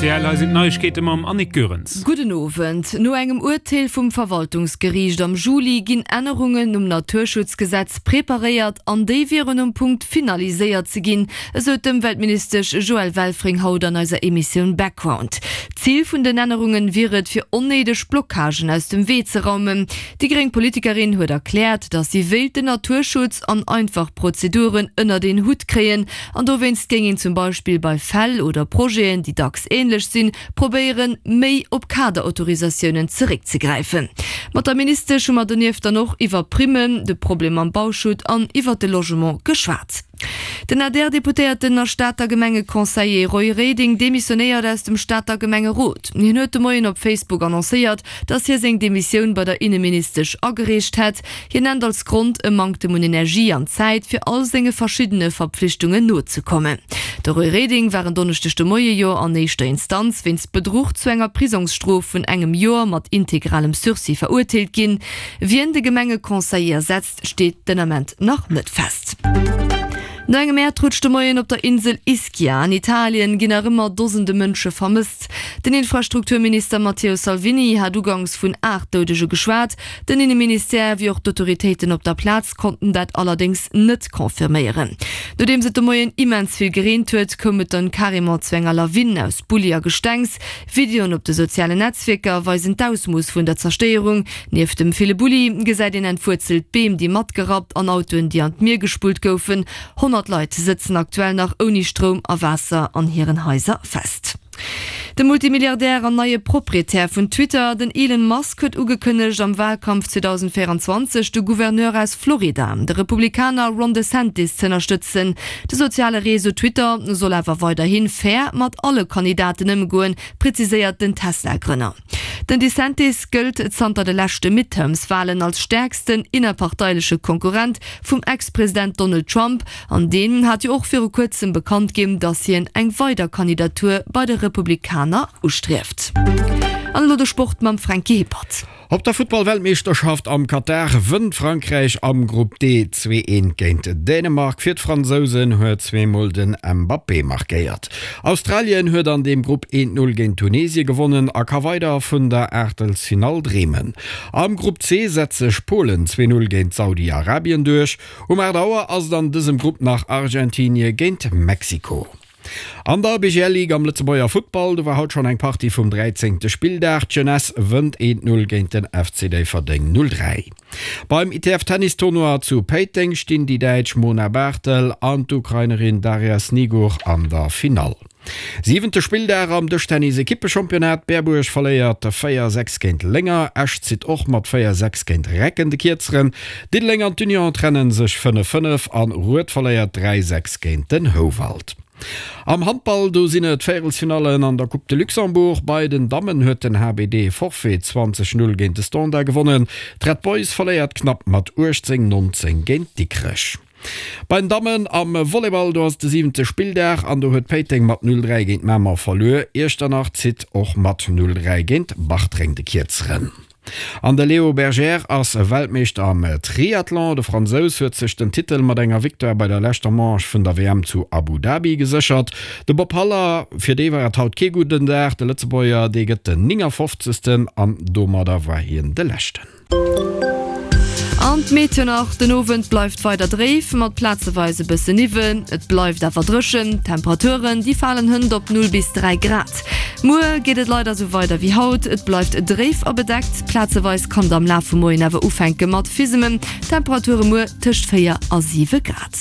Rtl, hei sinn d'Neiegkeete mam Annick Goerens. Gudden Owend. No engem Urteel vum Verwaltungsgeriicht am Juli ginn Ännerungen um Naturschutzgesetz preparéiert an déi wieren um Punkt finaliséiert ze ginn, esou d'Ëmweltministesch Joëlle Welfring haut an eiser Emissioun Background. D'Zil vun den Ännerungen wier et, fir onnéideg Blockagen aus dem Wee ze raumen. Déi gréng Politikerin huet erkläert, datt si wéilt den Naturschutz an einfach Prozeduren ënnert een Hutt kréien an dowéinst géing een zum Beispill bei Fäll oder Projeten, déi dacks änlech sinn, probéieren, méi op Kaderautorisatiounen zeréckzegräifen. Mat der Ministesch hu mer donieft dann och iwwer Primmen, de Problem mam Bauschutt an iwwer de Logement geschwat. Den ADR-Deputéierten a Stater Gemengeconseiller Roy Reding demissionéiert aus dem Stater Gemengerot. Hien huet de Moien op Facebook annoncéiert, datt hie seng Demissioun bei der Inneministesch agereecht hätt. Hien nennt als Grond e Manktem un Energie an Zäit, fir all senge verschiddene Verpflichtungen nozekommen. De Roy Reding war en Donneschdeg de Moie jo an éischter Instanz wéinst Bedruch zu enger Prisongsstrof vun engem Joer mat integralem Sursis verurteelt ginn. Wien de Gemengeconseiller ersetzt, steet den Ament nach net fest. No engem Äerdrutsch de Moien op der Insel Ischia an Italien ginn nach ëmmer Dosende Mënsche vermësst. Den Infrastrukturminister Matteo Salvini hat ugangs vun 8 Doudege geschwat. Den Inneministère wéi och d'Autoritéiten op der Plaz konnten dat allerdéngs net confirméieren. Nodeems et de Moien immens vill gereent huet, koum et dann carrément zu enger Lawinn aus Bulli a Gestengs. Videoen op de sozialen Netzwierker weisen d'Ausmooss vun der Zerstéierung. Nieft dem ville Bulli gesäit een entwuerzelt Beem, déi matgerappt an Autoen, déi an d'Mier gespullt goufen. 100 Leit sëtzen aktuell nach ouni Stroum a Waasser an hiren Haiser fest. De Multimilliardär an neie Proprietär vun Twitter, den Elon Musk, huet ugekënnegt, am Walkampf 2024 de Gouverneur aus Florida, de Republikaner Ron DeSantis, z'ënnerstëtzen. De soziale Réseau Twitter soll awer weiderhi fair mat alle Kandidaten ëmgoen, preziséiert den Tesla-Grënner. Den DeSantis gëllt zanter de leschte Midterms-Walen als stäerksten innerparteileche Konkurrent vum Ex-President Donald Trump an deen hat jo och viru kuerzem bekannt ginn, datt hien eng weider Kandidatur bei de Republikaner ustrieft. An elo de Sport mam Franky Hippert. Op der Futtball-Weltmeeschterschaft am Katar wënnt Frankräich am Grupp D 2, 1 géint Dänemark. Fir d'Fransousen huet zweemol den Mbappé markéiert. Australien huet an deem Grupp 1, 0 géint Tunesie gewonnen a ka weider vun der Aachtelsfinall dreemen. Am Grupp C setzt sech Polen 2, 0 géint Saudi-Arabien duerch. Um 8 Auer ass et an dësem Grupp nach Argentinie géint Mexiko. An der BGL Ligue am Lëtzebuerger Futtball, do war haut schonn eng Partie vum 13. Spilldag. D'Jeunesse wënnt 1, 0 géint den FC Déifferdeng 0, 3. Beim ITF Tennis Tournoi zu Péiteng stinn déi Däitsch Mona Barthel an d'Ukrainerin Daria Snigur an der Finall. Siwente Spilldag am Dëschtennis Ekippechampionnat, Berbuerg verléiert 4, 6 géint Lénger, Esch zitt och mat 4, 6 géint Recken de Kierzeren, Diddeleng an d'Union trennen sech 5, 5 an Rued verléiert 3, 6 géint den Houwald. Am Handball, do sinn et d'Véierelsfinallen an der Coupe de Luxembourg. Bei den Dammen huet den HBD Forfait 20, 0 géint de Standard gewonnen. D'Red Boys verléiert knapp mat 18, 19 géint Dikrech. Bei den Dammen am Volleyball, do ass et de siwente Spilldag an do huet Péiteng mat 0, 3 géint Mamer verluer. Iechternach zitt och mat 0, 3 géint Bartreng de Kierzeren. An de Léo Bergère ass Weltmeeschter am Triathlon. De Fransous huet sech den Titel mat enger Victoire bei der leschter Manche vun der WM zu Abu Dhabi geséchert. De Bob Haller, fir dee war et haut kee gudden Dag. De Lëtzebuerger, dee gëtt den 59. an domadder war hien de Leschten. An d'Meteo nach, Den Owend bleift weider dréif, mat plazeweis e bësse Niwwel. Et bleift awer dréchen. D'Temperaturen, déi falen hënt op 0 bis 3 Grad. Muer geet et leider sou weider wéi haut, et bleift dréif a bedeckt, plazeweis kann et am Laf vum Moien awer ufänke mat Fisemen. Temperature muer tëscht 4 a 7 Grad.